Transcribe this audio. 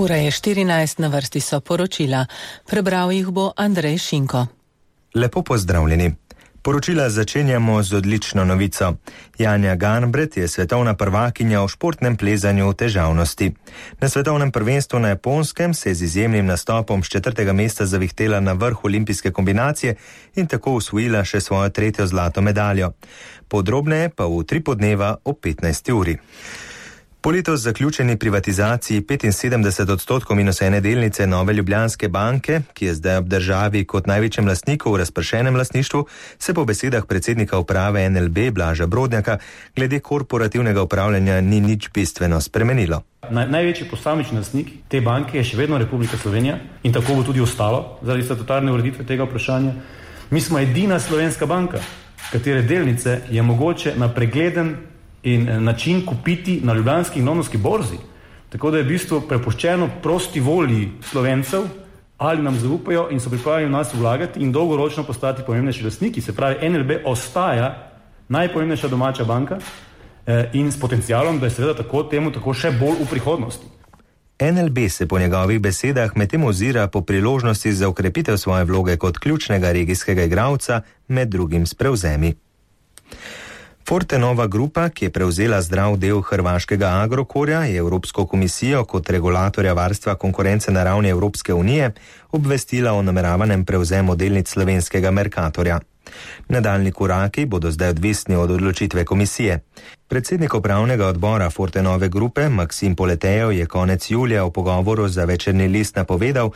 Ura je 14, na vrsti so poročila. Prebral jih bo Andrej Šinko. Lepo pozdravljeni. Poročila začenjamo z odlično novico. Janja Garnbret je svetovna prvakinja v športnem plezanju v težavnosti. Na svetovnem prvenstvu na Japonskem se je z izjemnim nastopom s 4. mesta zavihtela na vrh olimpijske kombinacije in tako osvojila še svojo 3. zlato medaljo. Podrobneje pa v 3 podneva o 15. uri. Po letos zaključeni privatizaciji 75% minus ene delnice Nove Ljubljanske banke, ki je zdaj ob državi kot največjem lastniku v razpršenem lastništvu, se po besedah predsednika uprave NLB Blaža Brodnjaka glede korporativnega upravljanja ni nič bistveno spremenilo. Največji posamični lastnik te banke je še vedno Republika Slovenija in tako bo tudi ostalo zaradi statutarne ureditve tega vprašanja. Mi smo edina slovenska banka, katere delnice je mogoče na pregleden in način kupiti na ljubljanski in londonski borzi. Tako da je v bistvu prepuščeno prosti volji Slovencev, ali nam zaupajo in so pripravljeni v nas vlagati in dolgoročno postati pomembnejši lastniki. Se pravi, NLB ostaja najpomembnejša domača banka in s potencialom, da je seveda tako temu tako še bolj v prihodnosti. NLB se po njegovih besedah medtem ozira po priložnosti za okrepitev svoje vloge kot ključnega regijskega igralca, med drugim s prevzemi. Fortenova grupa, ki je prevzela zdrav del hrvaškega Agrokorja, je Evropsko komisijo kot regulatorja varstva konkurence na ravni Evropske unije obvestila o nameravanem prevzemu delnic slovenskega Mercatorja. Nadaljnji koraki bodo zdaj odvisni od odločitve komisije. Predsednik upravnega odbora Fortenove grupe Maksim Poletejev je konec julija v pogovoru za Večerni list napovedal,